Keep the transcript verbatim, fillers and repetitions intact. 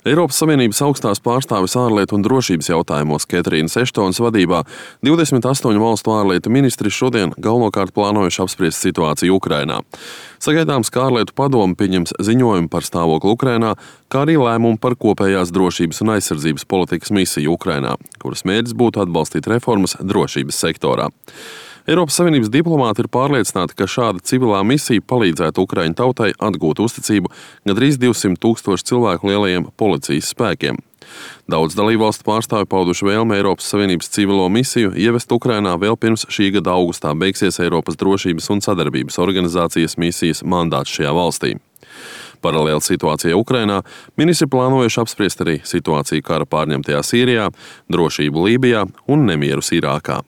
Eiropas Savienības augstās pārstāves ārlietu un drošības jautājumos Ketrīnas Eštonas vadībā divdesmit astoņu valstu ārlietu ministri šodien galvenokārt plānojuši apspriest situāciju Ukrainā. Sagaidāms, ka ārlietu padome pieņems ziņojumu par stāvokli Ukrainā, kā arī lēmumu par kopējās drošības un aizsardzības politikas misiju Ukrainā, kuras mērķis būtu atbalstīt reformas drošības sektorā. Eiropas Savienības diplomāti ir pārliecināti, ka šāda civilā misija palīdzētu Ukraiņu tautai atgūt uzticību gandrīz divsimt tūkstošu cilvēku lielajiem policijas spēkiem. Daudz dalībvalstu pārstāvju pauduši vēlmi Eiropas Savienības civilo misiju ievest Ukrainā vēl pirms šī gada augustā beigsies Eiropas drošības un sadarbības organizācijas misijas mandāts šajā valstī. Paralēli situācijai Ukrainā ministri plānojuši apspriest arī situāciju kara pārņemtajā Sīrijā, drošību Lībijā un nemierus Irākā.